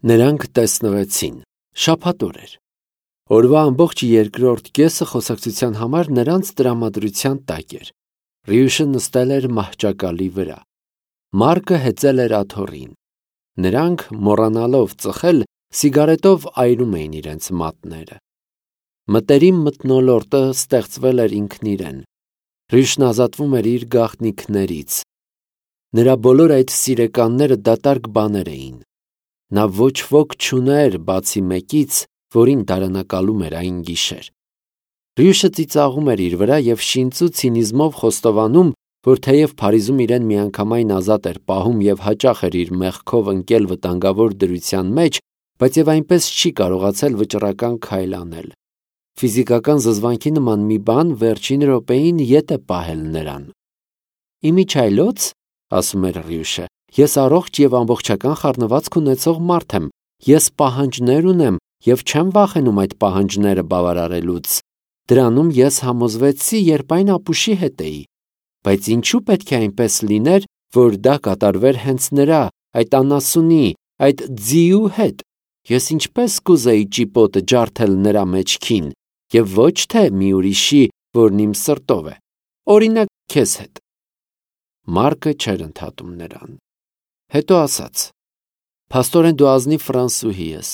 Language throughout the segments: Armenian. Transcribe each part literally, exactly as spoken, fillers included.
Նրանք տեսնվեցին, շաբաթ օր էր։ Օրվա ամբողջ երկրորդ կեսը խոսակցության համար նրանց տրամադրության տակ էր։ Ռյուշը նստել էր մահճակալի վրա։ Մարկը հեծել էր աթոռին։ Նրանք, մոռանալով ծխել, սիգարետով այրում էին իրենց մատները։ Մտերիմ մթնոլորտը ստեղծվել էր ինքն իրեն։ Ռյուշն ազատվում էր իր գաղտնիքներից։ Նրա բոլոր այդ սիրեկանները դատարկ բաներ էին։ Նա ոչ ոք չուներ բացի մեկից, որին դարանակալում էր այն գիշեր։ Ռյուշը ծիծաղում էր իր վրա և շինծու ցինիզմով խոստովանում, որ թեև Փարիզում իրեն միանգամայն ազատ էր պահում և հաճախ էր իր մեղքով ընկել վտանգավոր դրության մեջ, բայց և այնպես չի կարողացել վճռական քայլ անել։ Ֆիզիկական զզվանքի նման մի բան վերջին րոպեին ետ է պահել նրան։ «Իմիջիայլոց, — ասում էր Ռյուշը, — ես առողջ և ամբողջական խառնվածք ունեցող մարդ եմ, ես պահանջներ ունեմ և չեմ վախենում այդ պահանջները բավարարելուց։ Դրանում ես համոզվեցի, երբ այն ապուշի հետ էի։ Բայց ինչու պետք է այնպես լիներ, որ դա կատարվեր հենց նրա, այդ անասունի, այդ ձիու հետ։ Ես ինչպես կուզեի ճիպոտը ջարդել նրա մեջքին, և ոչ թե մի ուրիշի, որն իմ սրտով է, օրինակ քեզ հետ»։ Մարկը չէր ընդհատում նրան։ Հետո ասաց. «Փաստորեն դու ազնիվ ֆրանսուհի ես,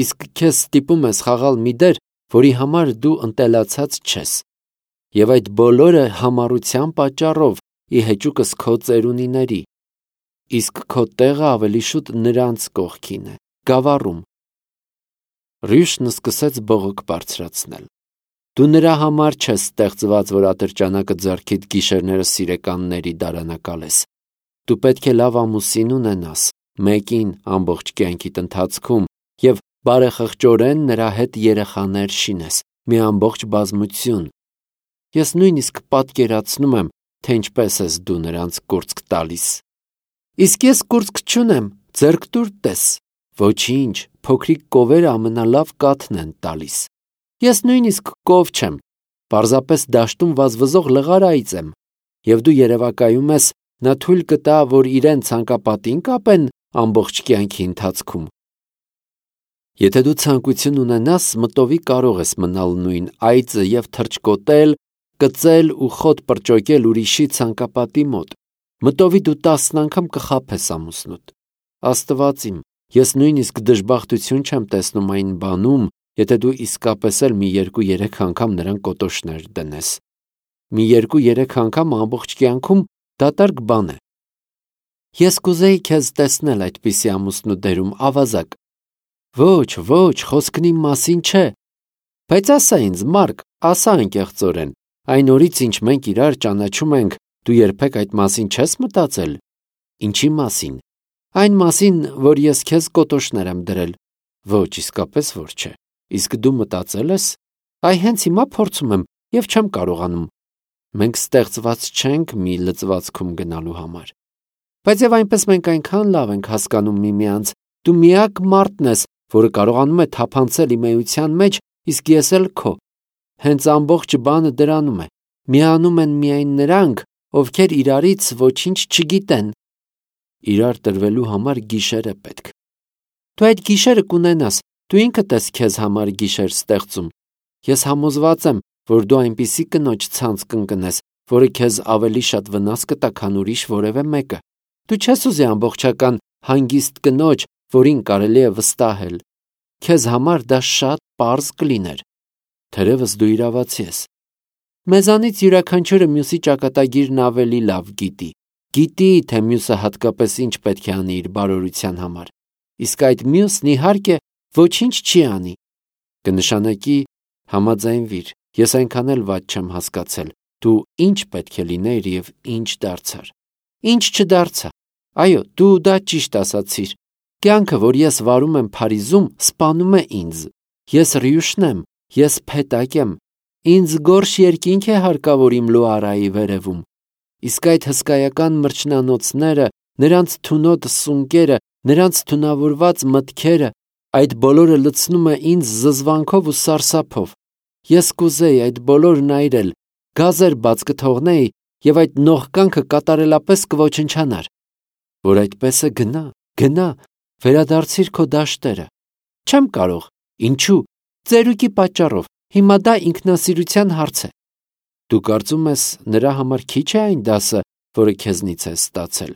իսկ քեզ ստիպում ես խաղալ մի դեր, որի համար դու ընտելացած չես, և այդ բոլորը համառության պատճառով, ի հեճուկս քո ծերունիների, իսկ քո տեղը ավելի շուտ նրանց կողքին է, գավառում»։ Ռյուշն սկսեց բողոք բարձրացնել. «Դու նրա համար չես ստեղծված, որ ատրճանակը ձեռքիդ գիշերները սիրեկանների դարանակալես։ Դու պետք է լավ ամուսին ունենաս, մեկին ամբողջ կյանքիդ ընթացքում, և բարեխղճորեն նրա հետ երեխաներ շինես, մի ամբողջ բազմություն։ Ես նույնիսկ պատկերացնում եմ, թե ինչպես ես դու նրանց կուրծք տալիս»։ «Իսկ ես կուրծք չունեմ, ձեռք տուր տես»։ «Ոչինչ, փոքրիկ կովերը ամենալավ կաթն են տալիս»։ «Ես նույնիսկ կով չեմ, պարզապես դաշտում վազվզող լղար այծ եմ»։ «Եվ դու երևակայում ես, նա թույլ կտա, որ իրեն ցանկապատի՞ն կապեն ամբողջ կյանքի ընթացքում»։ Եթե դու ցանկություն ունենաս, մտովի կարող ես մնալ նույն այծը և թռչկոտել, կծել ու խոտ պրճոկել ուրիշի ցանկապատի մոտ։ Մտովի դու տասն անգամ կխաբես ամուսնուդ։ Աստված իմ, ես նույնիսկ դժբախտություն չեմ տեսնում այն բանում, եթե դու իսկապես էլ մի երկու-երեք անգամ նրան կոտոշներ դնես։ Մի երկու-երեք անգամ ամբողջ կյանքում դատարկ բան է։ Ես կուզեի քեզ տեսնել այդպիսի ամուսնու դերում, ավազակ։ Ոչ, ոչ, խոսքն իմ մասին չէ։ Բայց ասա ինձ, Մարկ, ասա անկեղծորեն, այն օրից, ինչ մենք իրար ճանաչում ենք, դու երբեք այդ մասին չես մտածել։ Ինչի մասին։ Այն մասին, որ ես քեզ կոտոշներ եմ դրել։ Ոչ, իսկապես որ չէ։ Իսկ դու մտածել ես։ Այ հենց հիմա փորձում եմ և չեմ կարողանում։ Մենք ստեղծված չենք մի լծվածքում գնալու համար։ Բայց և այնպես մենք այնքան լավ ենք հասկանում միմյանց, դու միակ մարդն ես, որը կարողանում է թափանցել իմ էության մեջ, իսկ ես էլ քո։ Հենց ամբողջ բանը դրանում է։ Միանում են միայն նրանք, ովքեր իրարից ոչինչ չգիտեն։ Իրար տրվելու համար գիշեր է պետք։ Դու այդ գիշերը կունենաս, դու ինքդ ես քեզ համար գիշեր ստեղծում։ Ես համոզված եմ, որ դու այնպիսի կնոջ ցանց կընկնես, որը քեզ ավելի շատ վնաս կտա, քան ուրիշ որևէ մեկը։ Դու չես ուզի ամբողջական հանգիստ կնոջ, որին կարելի է վստահել։ Քեզ համար դա շատ պարզ կլիներ։ Թերևս դու իրավացի ես։ Մեզանից յուրաքանչյուրը մյուսի ճակատագիրն ավելի լավ գիտի։ Գիտի, թե մյուսը հատկապես ինչ պետք է անի իր բարօրության համար։ Իսկ այդ մյուսն, իհարկե, ոչինչ չի անի։ Կնշանակի համաձայնվիր, ես այնքան էլ վատ չեմ հասկացել, դու ինչ պետք է լինեիր և ինչ դարձար։ Ինչ չդարձա։ Այո, դու դա ճիշտ ասացիր։ Կյանքը, որ ես վարում եմ Փարիզում, սպանում է ինձ։ Ես Ռյուշն եմ, ես փետակ եմ։ Ինձ գորշ երկինք է հարկավոր իմ Լուարայի վերևում։ Իսկ այդ հսկայական մրջնանոցները, նրանց թունոտ սունկերը, նրանց թունավորված մտքերը, այդ բոլորը լցնում է ինձ զզվանքով ու սարսափով։ Ես կուզեի այդ բոլորն այրել, գազեր բաց կթողնեի և այդ նողկանքը կատարելապես կոչնչանար։ Որ այդպես է, գնա, գնա, Վերադարձիր քո դաշտերը։ Չեմ կարող։ Ինչու՞։ Ծերուկի պատճառով։ Հիմա դա ինքնասիրության հարց է։ Դու կարծում ես նրա համար քիչ է այն դասը, որը քեզնից ես ստացել։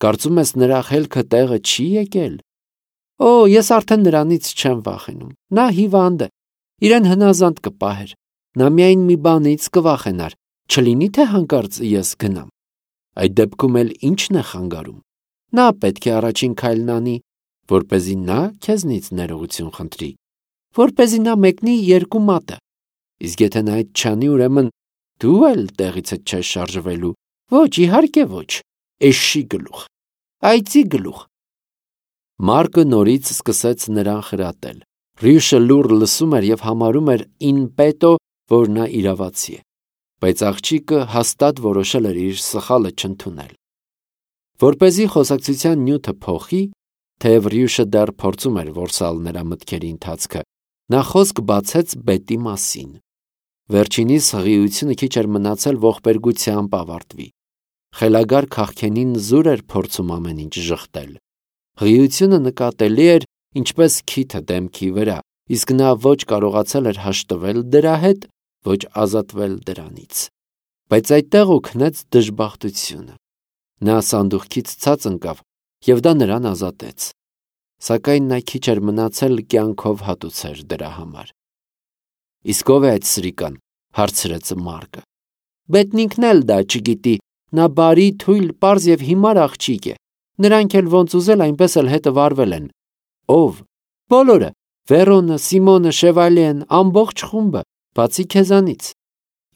Կարծում ես նրա խելքը տեղը չի եկել։ Օ, ես արդեն նրանից չեմ վախենում։ Նա հիվանդ է։ Իրեն հնազանդ կպահեր։ Նա միայն մի բանից կվախենար, չլինի թե հանկարծ ես գնամ։ Այդ դեպքում էլ ի՞նչն է խանգարում։ Նա պետք է առաջին քայլն անի, որպեսզի նա քեզնից ներողություն խնդրի, որպեսզի նա մեկնի երկու մատը։ Իսկ եթե նա այդ չանի, ուրեմն դու էլ տեղիցդ չես շարժվելու։ Ոչ, իհարկե ոչ։ Էշի գլուխ։ Այծի գլուխ։ Մարկը նորից սկսեց նրան խրատել։ Ռյուշը լուռ լսում էր և համարում էր in petto, որ նա իրավացի է, բայց աղջիկը հաստատ որոշել էր իր սխալը չընդունել։ Որպեսզի խոսակցության նյութը փոխի, թեև Ռյուշը դեռ փորձում էր որսալ նրա մտքերի ընթացքը, նա խոսք բացեց բետի մասին։ Վերջինիս հղիությունը քիչ էր մնացել ողբերգությամբ ավարտվի։ Խելագար քաղքենին զուր էր փորձում ամեն ինչ ժխտել։ Հղիությունը նկատելի էր ինչպես քիթը դեմքի վրա, իսկ նա ոչ կարողացել էր հաշտվել դրա հետ, ոչ ազատվել դրանից։ Բայց այդտեղ օգնեց դժբախտությունը։ Նա սանդուղքից ցած ընկավ, և դա նրան ազատեց։ Սակայն նա քիչ էր մնացել կյանքով հատուցեր դրա համար։ Իսկ ով է այդ սրիկան, հարցրեց Մարկը։ Բետն ինքն էլ դա չգիտի, նա բարի, թույլ, պարզ և հիմար աղջիկ է։ Նրանք էլ ոնց ուզել այնպես էլ հետը վարվել են։ Ով։ Բոլորը։ Վերոնը, Սիմոնը, Շևալիեն, ամբողջ խումբը, բացի քեզանից։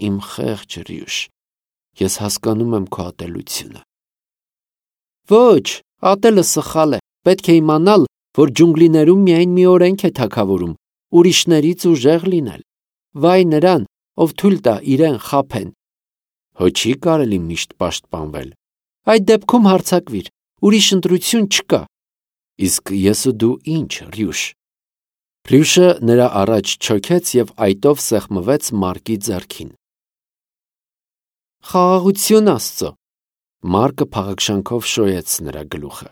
Իմ խեղճ Ռյուշ, ես հասկանում եմ քո ատելությունը։ Ոչ, ատելը սխալ է։ Պետք է իմանալ, որ ջունգլիներում միայն մի օրենք է թագավորում, ուրիշներից ուժեղ լինել։ Վայ նրան, ով թույլ տա իրեն խաբեն։ Հո չի կարելի միշտ պաշտպանվել։ Այդ դեպքում հարձակվիր, ուրիշ ընտրություն չկա։ Իսկ ես ու դու ինչ, Ռյուշ։ Ռյուշը նրա առաջ չոքեց և այտով սեղմվեց Մարկի ձեռքին։ Խաղաղություն Աստծո։ Մարկը փաղաքշանքով շոյեց նրա գլուխը։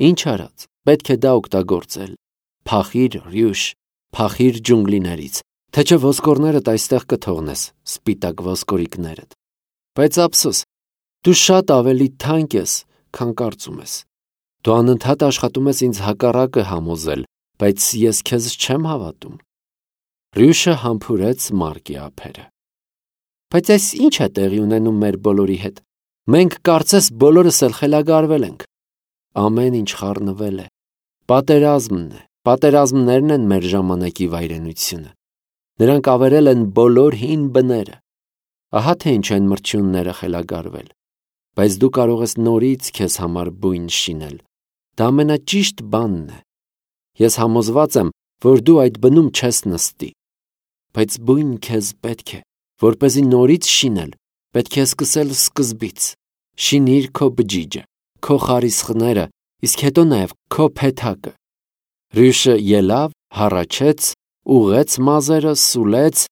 Ինչ արած, պետք է դա օգտագործել։ Փախիր, Ռյուշ, փախիր ջունգլիներից, թե չէ ոսկորներդ այստեղ կթողնես, սպիտակ ոսկորիկներդ։ Բայց ափսոս, դու շատ ավելի թանկ ես, քան կարծում ես։ Դու անընդհատ աշխատում ես ինձ հակառակը համոզել, բայց ես քեզ չեմ հավատում։ Ռյուշը համբուրեց Մարկի ափերը։ Բայց այս ի՞նչ է տեղի ունենում մեր բոլորի հետ։ Մենք կարծես բոլորս էլ խելագարվել ենք։ Ամեն ինչ խառնվել է։ Պատերազմն է, պատերազմներն են մեր ժամանակի վայրենությունը։ Նրանք ավերել են բոլոր հին բները։ Ահա թե ինչ են մրջյունները խելագարվել։ Բայց դու կարող ես նորից քեզ համար բույն շինել։ Դա ամենաճիշտ բանն է։ Ես համոզված եմ, որ դու այդ բնում չես նստի։ Բայց բույն քեզ պետք է, որպեսզի նորից շինել, պետք է սկսել սկզբից։ Շինիր քո բջիջը, քո խարիսխները, իսկ հետո նաև քո փեթակը։ Ռյուշը ելավ, հառաչեց, ուղեց մազերը, սուլեց,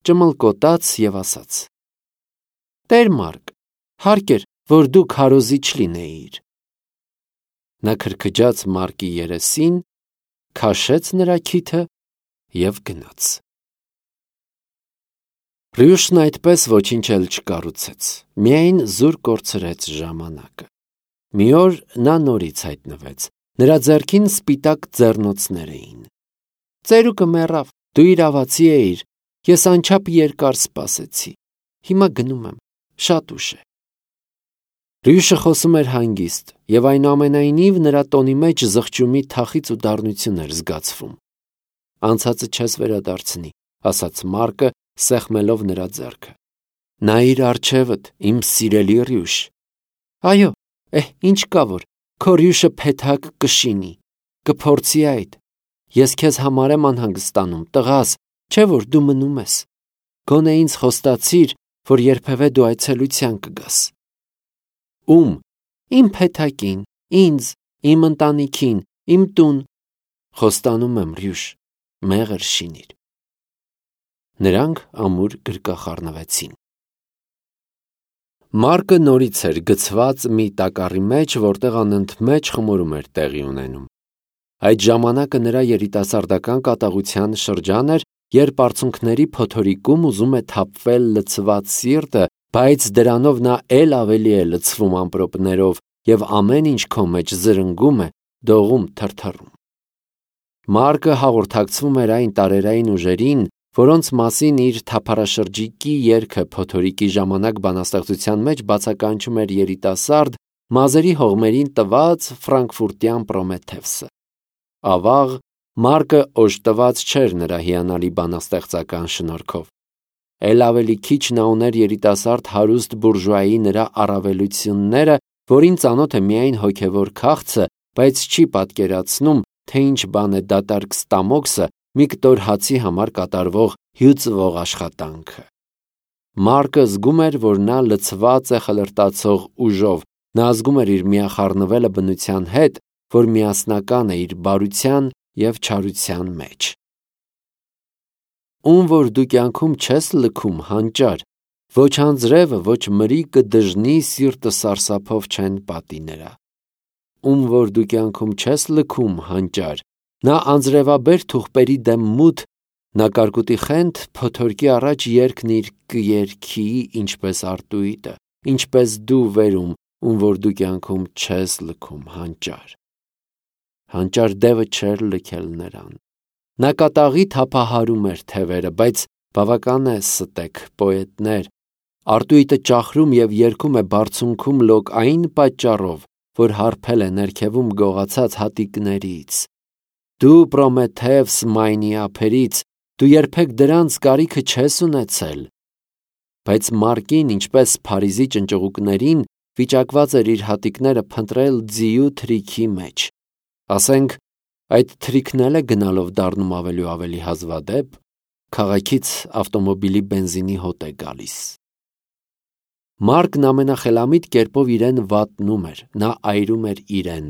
ճմլկոտաց և ասաց. Տեր Մարկ, հարկ էր, որ դու քարոզիչ լինեիր։ Նա քրքջաց Մարկի երեսին, քաշեց նրա քիթը և գնաց։ Ռյուշն այդպես ոչինչ էլ չկառուցեց, միայն զուր կորցրեց ժամանակը։ Մի օր նա նորից հայտնվեց, նրա ձեռքին սպիտակ ձեռնոցներ էին։ Ծերուկը մեռավ, դու իրավացի էիր, ես անչափ երկար սպասեցի, հիմա գնում եմ, շատ ուշ է։ Ռյուշը խոսում էր հանգիստ, և այնուամենայնիվ նրա տոնի մեջ զղջումի թախիծ ու դառնություն էր զգացվում։ Անցածը չես վերադարձնի, ասաց Մարկը, սեղմելով նրա ձեռքը։ Նայիր առջևդ, իմ սիրելի Ռյուշ։ Այո, էհ, ինչ կա որ, քո Ռյուշը փեթակ կշինի, կփորձի այդ։ Ես քեզ համար եմ անհանգստանում, տղաս, չէ որ դու մնում ես։ Գոնե ինձ խոստացիր, որ երբևէ դու այցելության կգաս։ Ում։ Իմ փեթակին, ինձ, իմ ընտանիքին, իմ տուն։ Խոստանում եմ, Ռյուշ, մեղր շինիր։ Նրանք ամուր գրկախառնվեցին։ Մարկը նորից էր գցված մի տակառի մեջ, որտեղ անընդմեջ խմորում էր տեղի ունենում։ Այդ ժամանակը նրա երիտասարդական կատաղության շրջան էր, երբ արցունքների փոթորիկում ուզում է թափվել լցված սիրտը, բայց դրանով նա էլ ավելի է լցվում ամպրոպներով և ամեն ինչ քո մեջ զրնգում է, դողում, թրթռում։ Մարկը հաղորդակցվում էր այն տարերային ուժերին, որոնց մասին իր թափառաշրջիկի երգը փոթորիկի ժամանակ բանաստեղծության մեջ բացականչում էր երիտասարդ, մազերի հողմերին տված ֆրանկֆուրտյան Պրոմեթևսը։ Ավաղ, Մարկը օժտված չէր նրա հիանալի բանաստեղծական շնորհքով։ Էլ ավելի քիչ նա ուներ երիտասարդ հարուստ բուրժուայի նրա առավելությունները, որին ծանոթ է միայն հոգևոր քաղցը, բայց չի պատկերացնում, թե ինչ բան է դատարկ ստամոքսը, մի կտոր հացի համար կատարվող հյուծվող աշխատանքը։ Մարկը զգում էր, որ նա լցված է խլրտացող ուժով, նա զգում էր իր միախառնվելը բնության հետ, որ միասնական է իր բարության և չարության մեջ։ Ում որ դու կյանքում չես լքում հանճար, ոչ անձրևը, ոչ մրիկը դժնի սիրտը սարսափով չեն պատի նրա։ Ում որ դու կյանքում չես լքում հանճար, նա անձրևաբեր թուղպերի դեմ մութ, նա կարկուտի խենթ փոթորկի առաջ երգն իր կերքի, ինչպես արտույտը, ինչպես դու վերում, ում որ դու կյանքում չես լքում հանճար։ Հանճար դևը չէր լքել նրան։ Նա կատաղի թափահարում էր թևերը, բայց բավական է ստեք, պոետներ, արտույտը ճախրում և երգում է բարձունքում լոկ այն պատճառով, որ հարբել է ներքևում գողացած հատիկներից։ Դու Պրոմեթևս մայնի ափերից, դու երբեք դրանց կարիքը չես ունեցել։ Բայց Մարկին, ինչպես Փարիզի ճնճղուկներին, վիճակված էր իր հատիկները փնտրել ձիու թրիքի մեջ։ Ասենք, այդ թրիքն էլ է գնալով դառնում ավելի ու ավելի հազվադեպ, քաղաքից ավտոմոբիլի բենզինի հոտ է գալիս։ Մարկն ամենախելամիտ կերպով իրեն վատնում էր, նա այրում էր իրեն։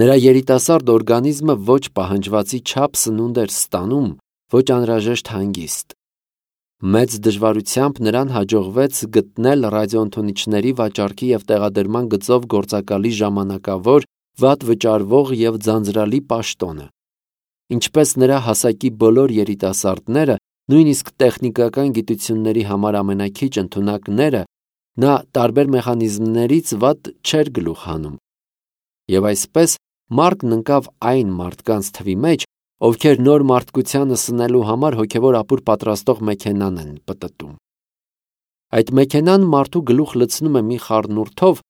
Նրա երիտասարդ օրգանիզմը ոչ պահանջվածի չափ սնունդ էր ստանում, ոչ անհրաժեշտ հանգիստ։ Մեծ դժվարությամբ նրան հաջողվեց գտնել ռադիոընդունիչների վաճառքի և տեղադրման գծով գործակալի ժամանակավոր, վատ վճարվող և ձանձրալի պաշտոնը։ Ինչպես նրա հասակի բոլոր երիտասարդները, նույնիսկ տեխնիկական գիտությունների համար ամենաքիչ ընդունակները, նա տարբեր մեխանիզմներից վատ չէր գլուխ հանում։ Եվ այսպես Մարկն ընկավ այն մարդկանց թվի մեջ, ովքեր նոր մարդկությանը սնելու համար հոգևոր ապուր պատրաստող մեքենան են պտտում։ Այդ մեքենան մարդու գլուխ լցնում է մի խառնուրդով,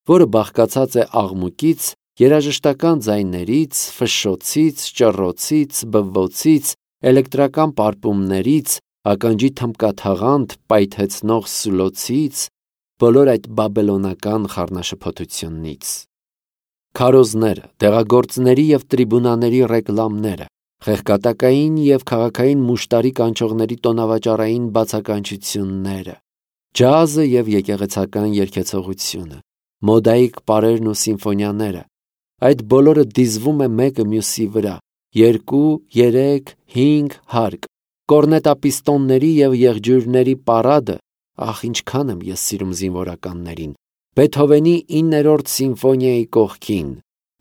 որը բաղկացած է աղմուկից, երաժշտական ձայներից, ֆշշոցից, ճռռոցից, բվոցից, էլեկտրական պարպումներից, ականջի թմբկաթաղանթ պայթեցնող սուլոցից, բոլոր այդ բաբելոնական խառնաշփոթությունից։ Քարոզները, դեղագործների և տրիբունաների ռեկլամները, խեղկատակային և քաղաքային մուշտարի կանչողների տոնավաճառային բացականչությունները, ջազը և եկեղեցական երգեցողությունը, մոդայիկ պարերն ու սիմֆոնիաները, այդ բոլորը դիզվում է մեկը մյուսի վրա, երկու, երեք, հինգ հարկ, կորնետապիստոնների և եղջյուրների պարադը, ախ, ինչքան եմ ես սիրում զինվորականներին, Բեթհովենի իններորդ սիմֆոնիայի կողքին,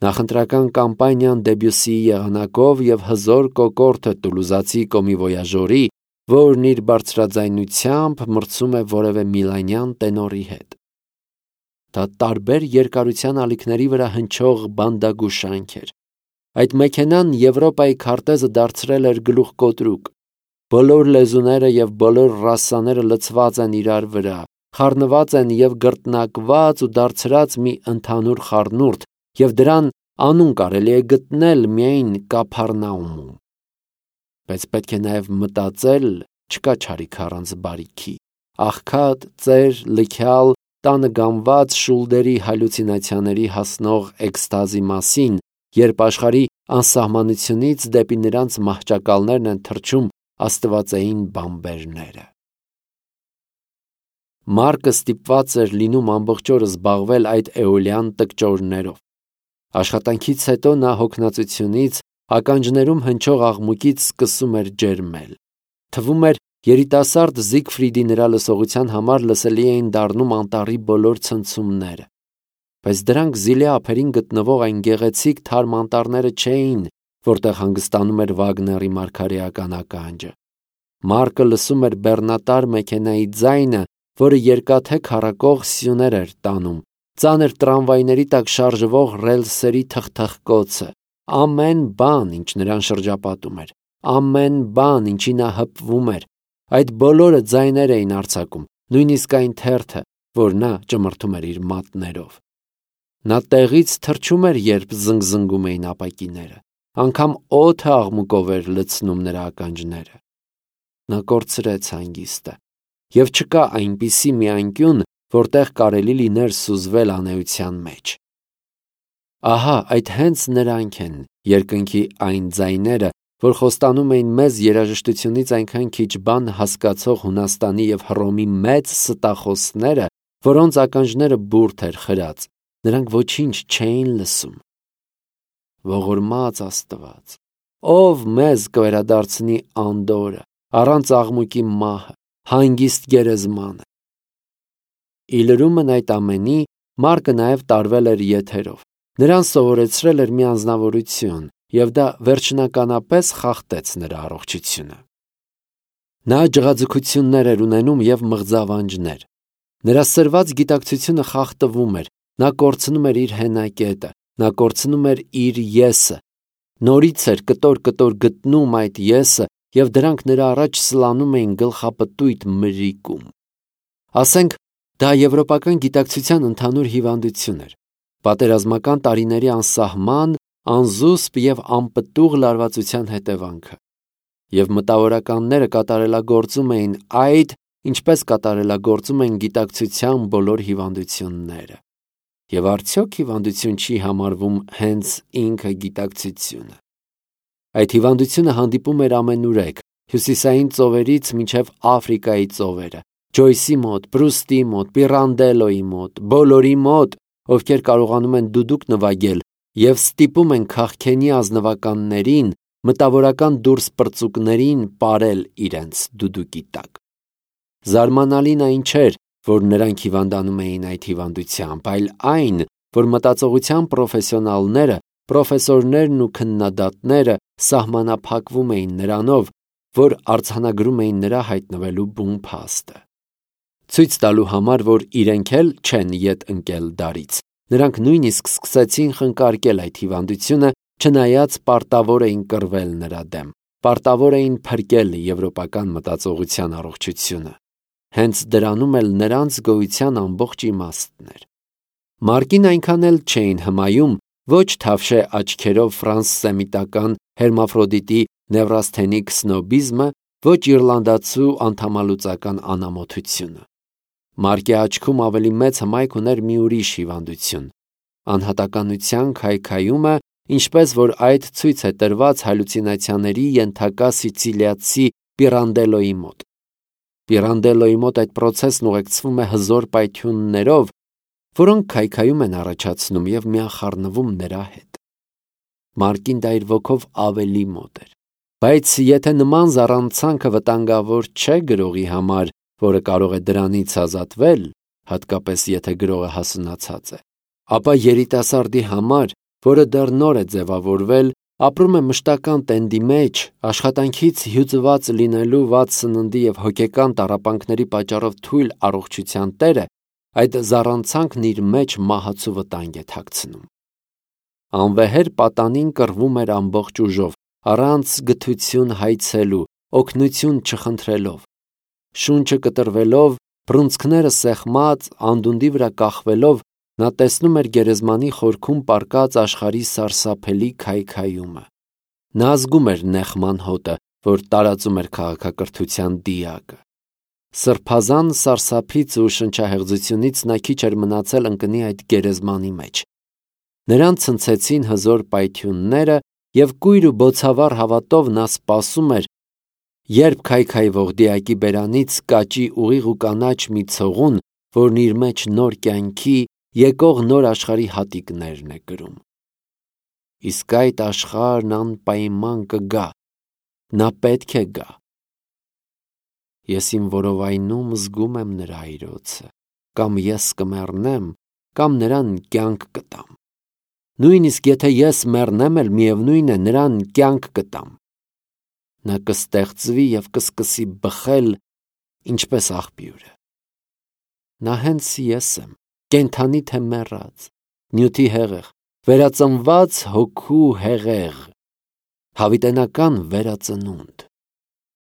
նախընտրական կամպանիան Դեբյուսիի եղանակով և հզոր կոկորդը տուլուզացի կոմիվոյաժորի, որն իր բարձրաձայնությամբ մրցում է որևէ միլանյան տենորի հետ։ Դա տարբեր երկարության ալիքների վրա հնչող բանդագուշանք էր։ Այդ մեքենան Եվրոպայի քարտեզը դարձրել էր գլուխկոտրուկ։ Բոլոր լեզուները և բոլոր ռասաները լցված են իրար վրա, խառնված են և գռտնակված ու դարձրած մի ընդհանուր խառնուրդ, և դրան անուն կարելի է գտնել միայն Կափառնաումում։ Բայց պետք է նաև մտածել, չկա չարիք առանց բարիքի, աղքատ, ծեր, լքյալ, տանը գամված շուլդերի հալյուցինացիաների հասնող էքստազի մասին, երբ աշխարհի անսահմանությունից դեպի նրանց մահճակալներն են թռչում աստվածային բամբերները։ Մարկը ստիպված էր լինում ամբողջ օրը զբաղվել այդ էոլյան տկճորներով։ Աշխատանքից հետո նա հոգնածությունից, ականջներում հնչող աղմուկից սկսում էր ջերմել։ Թվում էր, երիտասարդ Զիգֆրիդի նրա լսողության համար լսելի էին դառնում անտառի բոլոր ցնցումները։ Բայց դրանք զիլե ափերին գտնվող այն գեղեցիկ թարմ անտառները չէին, որտեղ հանգստանում էր Վագների մարգարեական ականջը։ Մարկը լսում էր բեռնատար մեքենայի ձայնը, որը երկաթե քառակող սյուներ էր տանում, ծանր տրամվայների տակ շարժվող ռելսերի թխթխկոցը, ամեն բան, ինչ նրան շրջապատում էր, ամեն բան, ինչի նա հպվում էր, այդ բոլորը ձայներ էին արձակում, նույնիսկ այն թերթը, որ նա ճմրթում էր իր մատներով։ Նա տեղից թռչում էր, երբ զնգզնգում էին ապակիները, անգամ օդը աղմուկով էր լցնում նրա ականջները։ Նա կորցրեց հանգիստը, և չկա այնպիսի մի անկյուն, որտեղ կարելի լիներ սուզվել անեության մեջ։ Ահա այդ հենց նրանք են երկնքի այն ձայները, որ խոստանում էին մեզ երաժշտությունից այնքան քիչ բան հասկացող Հունաստանի և Հռոմի մեծ ստախոսները, որոնց ականջները բուրդ էր խրած, նրանք ոչինչ չէին լսում։ Ողորմած Աստված, ով մեզ կվերադարձնի անդորրը, առանց աղմուկի մահը, հանգիստ գերեզմանը։ Ի լրումն այդ ամենի, Մարկը նաև տարվել էր եթերով։ Նրան սովորեցրել էր մի անձնավորություն, և դա վերջնականապես խախտեց նրա առողջությունը։ Նա ջղաձգություններ էր ունենում և մղձավանջներ։ Նրա սրված գիտակցությունը խախտվում էր, նա կորցնում էր իր հենակետը, նա կորցնում էր իր եսը, նորից էր կտոր-կտոր գտնում այդ եսը, և դրանք նրա առաջ սլանում էին գլխապտույտ մրրիկում։ Ասենք, դա եվրոպական գիտակցության ընդհանուր հիվանդություն էր, պատերազմական տարիների անսահման, անզուսպ և անպտուղ լարվածության հետևանքը։ Եվ մտավորականները կատարելագործում էին այդ, ինչպես կատարելագործում են գիտակցության բոլոր հիվանդությունները։ Եվ արդյոք հիվանդություն չի համարվում հենց ինքը գիտակցությունը։ Այդ հիվանդությունը հանդիպում էր ամենուրեք, հյուսիսային ծովերից մինչև Աֆրիկայի ծովերը, Ջոյսի մոտ, Պրուստի մոտ, Պիրանդելոյի մոտ, բոլորի մոտ, ովքեր կարողանում են դուդուկ նվագել և ստիպում են քաղքենի ազնվականներին, մտավորական դուրս պրծուկներին պարել իրենց դուդուկի տակ։ Զարմանալին այն չէր, որ նրանք հիվանդանում էին այդ հիվանդությամբ, այլ այն, որ մտածողության պրոֆեսիոնալները, պրոֆեսորներն ու քննադատները սահմանափակվում էին նրանով, որ արձանագրում էին նրա հայտնվելու բուն փաստը։ Ցույց տալու համար, որ իրենք էլ չեն ետ ընկել դարից, նրանք նույնիսկ սկսեցին խնկարկել այդ հիվանդությունը, չնայած պարտավոր էին կռվել նրա դեմ, պարտավոր էին փրկել եվրոպական մտածողության առողջությունը։ Հենց դրանում էլ նրանց գոյության ամբողջ իմաստն էր։ Մարկին այնքան էլ չէին հմայում ոչ թավշե աչքերով ֆրանսսեմիտական հերմաֆրոդիտի նևրասթենիկ սնոբիզմը, ոչ իռլանդացու անդամալուծական անամոթությունը։ Մարկի աչքում ավելի մեծ հմայք ուներ մի ուրիշ հիվանդություն՝ անհատականության քայքայումը, ինչպես որ այդ ցույց է տրված հալյուցինացիաների ենթակա սիցիլիացի Պիրանդելոյի մոտ։ Պիրանդելոյի մոտ այդ պրոցեսն ուղեկցվում է հզոր պայթյուններով, որոնք քայքայում են առաջացնում և միախառնվում նրա հետ։ Մարկին դա իր ոգով ավելի մոտ էր։ Բայց եթե նման զառանցանքը վտանգավոր չէ գրողի համար, որը կարող է դրանից ազատվել, հատկապես եթե գրողը հասունացած է, ապա երիտասարդի համար, որը դեռ նոր է ձևավորվել, ապրում է մշտական տենդի մեջ, աշխատանքից հյուծված լինելու վատ սննդի և հոգեկան տառապանքների պատճառով թույլ առողջության տերը, այդ զառանցանքն իր մեջ մահացու վտանգ է թաքցնում։ Անվեհեր պատանին կռվում էր ամբողջ ուժով, առանց գթություն հայցելու, օգնություն չխնդրելով։ Շունչը կտրվելով, բռունցքները սեղմած, անդունդի վրա կախվելով, նա տեսնում էր գերեզմանի խորքում պառկած աշխարհի սարսափելի քայքայումը։ Նա զգում էր նեղման հոտը, որ տարածում էր քաղաքակրթության դիակը։ Սրբազան սարսափից ու շնչահեղձությունից նա քիչ էր մնացել ընկնի այդ գերեզմանի մեջ։ Նրան ցնցեցին հզոր պայթյունները, և կույր ու բոցավառ հավատով նա սպասում էր, երբ քայքայվող դիակի բերանից կաճի ուղիղ ու կանաչ մի ցողուն, որն իր մեջ նոր կյանքի, եկող նոր աշխարհի հատիկներն է կրում։ Իսկ այդ աշխարհն անպայման կգա, նա պետք է գա։ Ես իմ որովայնում զգում եմ նրա այրոցը, կամ ես կմեռնեմ, կամ նրան կյանք կտամ։ Նույնիսկ եթե ես մեռնեմ էլ, միևնույն է, նրան կյանք կտամ։ Նա կստեղծվի և կսկսի բխել, ինչպես աղբյուրը։ Նա հենց ես եմ, կենդանի թե մեռած, նյութի հեղեղ, վերածնված հոգու հեղեղ, հավիտենական վերածնունդ։